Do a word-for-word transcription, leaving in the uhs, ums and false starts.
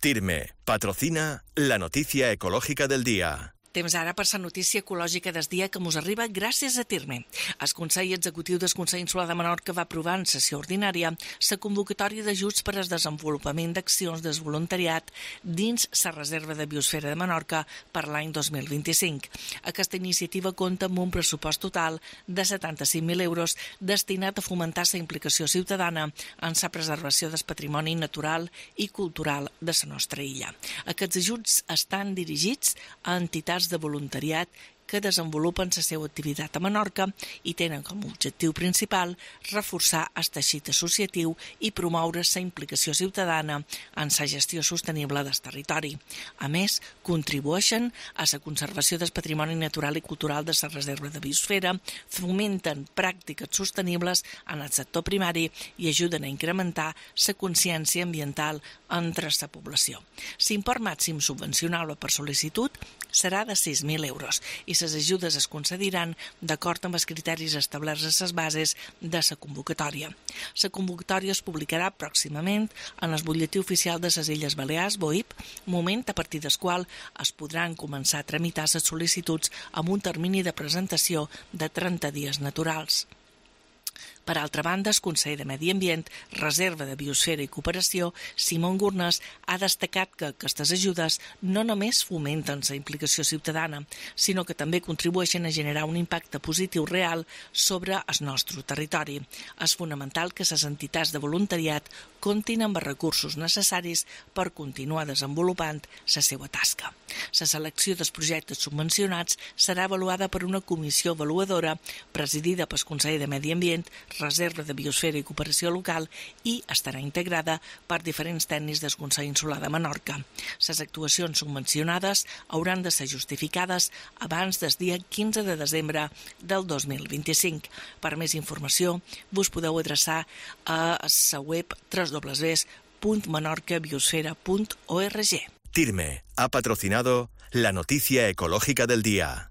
Tirme patrocina la noticia ecológica del día. Temps ara per la notícia ecològica del dia que mos arriba gràcies a Tirme. El Consell Executiu del Consell Insular de Menorca va aprovar en sessió ordinària la convocatòria d'ajuts per al desenvolupament d'accions de voluntariat dins la Reserva de Biosfera de Menorca per l'any dos mil vint-i-cinc. Aquesta iniciativa compta amb un pressupost total de setanta-cinc mil euros destinat a fomentar la implicació ciutadana en la preservació del patrimoni natural i cultural de la nostra illa. Aquests ajuts estan dirigits a entitats de voluntariat que desenvolupen la seva activitat a Menorca i tenen com a objectiu principal reforçar el teixit associatiu i promoure la implicació ciutadana en la gestió sostenible del territori. A més, contribueixen a la conservació del patrimoni natural i cultural de la reserva de biosfera, fomenten pràctiques sostenibles en el sector primari i ajuden a incrementar la consciència ambiental entre la població. L'import màxim subvencionable per sol·licitud serà de sis mil euros i les ajudes es concediran d'acord amb els criteris establerts a les bases de la convocatòria. La convocatòria es publicarà pròximament en el butlletí oficial de les Illes Balears, B O I P, moment a partir del qual es podran començar a tramitar les sol·licituds amb un termini de presentació de trenta dies naturals. Per altra banda, el Consell de Medi Ambient, Reserva de Biosfera i Cooperació, Simon Gurnes, ha destacat que aquestes ajudes no només fomenten la implicació ciutadana, sinó que també contribueixen a generar un impacte positiu real sobre el nostre territori. És fonamental que les entitats de voluntariat comptin amb els recursos necessaris per continuar desenvolupant la seva tasca. La selecció dels projectes subvencionats serà avaluada per una comissió avaluadora presidida pel Consell de Medi Ambient, Reserva de Biosfera i Cooperació Local i estarà integrada per diferents tècnics del Consell Insular de Menorca. Les actuacions subvencionades hauran de ser justificades abans del dia quinze de desembre del dos mil vint-i-cinc. Per més informació, vos podeu adreçar a la web w w w punt menorca biosfera punt org. Tirme ha patrocinado la noticia ecológica del día.